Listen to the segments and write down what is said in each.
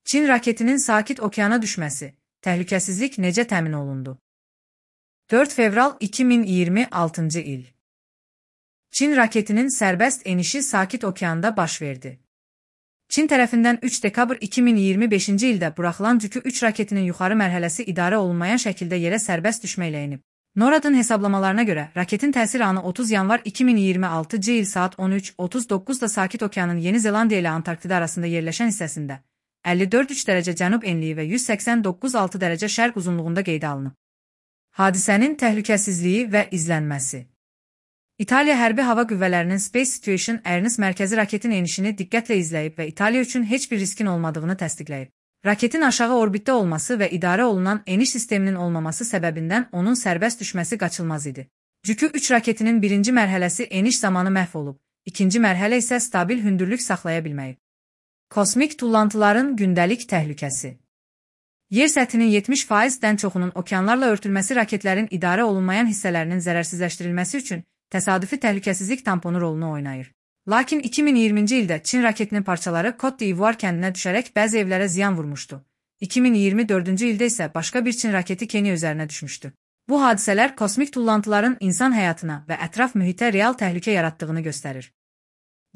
Çin raketinin Sakit Okeana düşməsi, təhlükəsizlik necə təmin olundu? 4 fevral 2026 il. Çin raketinin sərbəst enişi Sakit Okeanda baş verdi. Çin tərəfindən 3 dekabr 2025-ci ildə buraxılan Cükü 3 raketinin yuxarı mərhələsi idarə olunmayan şəkildə yerə sərbəst düşməklə enib. NORAD-ın hesablamalarına görə, raketin təsir anı 30 yanvar 2026-cı il saat 13:39-da Sakit Okeanın Yeni Zelandiya ilə Antarktida arasında yerləşən hissəsində 54,3 dərəcə cənub enliyi və 189,6 dərəcə şərq uzunluğunda qeydə alınıb. Hadisənin təhlükəsizliyi və izlənməsi. İtaliya Hərbi Hava Qüvvələrinin Space Situation Awareness mərkəzi raketin enişini diqqətlə izləyib və İtaliya üçün heç bir riskin olmadığını təsdiqləyib. Raketin aşağı orbitdə olması və idarə olunan eniş sisteminin olmaması səbəbindən onun sərbəst düşməsi qaçılmaz idi. Cükü 3 raketinin birinci mərhələsi eniş zamanı məhv olub, ikinci mərhələ isə stabil hündürlük saxlaya bilməyib. Kosmik tullantıların gündəlik təhlükəsi. Yer səthinin 70%-dən çoxunun okeanlarla örtülməsi raketlərin idarə olunmayan hissələrinin zərərsizləşdirilməsi üçün təsadüfi təhlükəsizlik tamponu rolunu oynayır. Lakin 2020-ci ildə Çin raketinin parçaları Côte d'Ivoire kəndinə düşərək bəzi evlərə ziyan vurmuşdu. 2024-cü ildə isə başqa bir Çin raketi Kenya üzərinə düşmüşdü. Bu hadisələr kosmik tullantıların insan həyatına və ətraf mühitə real təhlükə yaratdığını göstərir.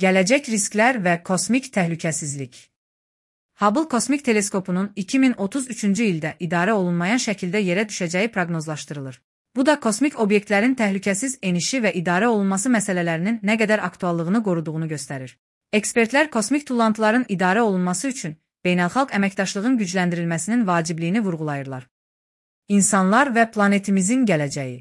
Gələcək risklər və kosmik təhlükəsizlik. Hubble kosmik teleskopunun 2033-cü ildə idarə olunmayan şəkildə yerə düşəcəyi proqnozlaşdırılır. Bu da kosmik obyektlərin təhlükəsiz enişi və idarə olunması məsələlərinin nə qədər aktuallığını qoruduğunu göstərir. Ekspertlər kosmik tullantıların idarə olunması üçün beynəlxalq əməkdaşlığın gücləndirilməsinin vacibliyini vurğulayırlar. İnsanlar və planetimizin gələcəyi.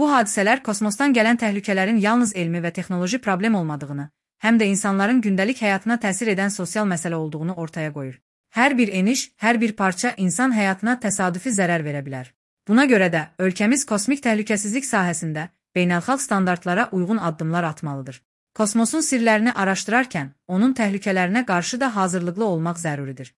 Bu hadisələr kosmosdan gələn təhlükələrin yalnız elmi və texnoloji problem olmadığını, həm də insanların gündəlik həyatına təsir edən sosial məsələ olduğunu ortaya qoyur. Hər bir eniş, hər bir parça insan həyatına təsadüfi zərər verə bilər. Buna görə də ölkəmiz kosmik təhlükəsizlik sahəsində beynəlxalq standartlara uyğun addımlar atmalıdır. Kosmosun sirlərini araşdırarkən onun təhlükələrinə qarşı da hazırlıqlı olmaq zəruridir.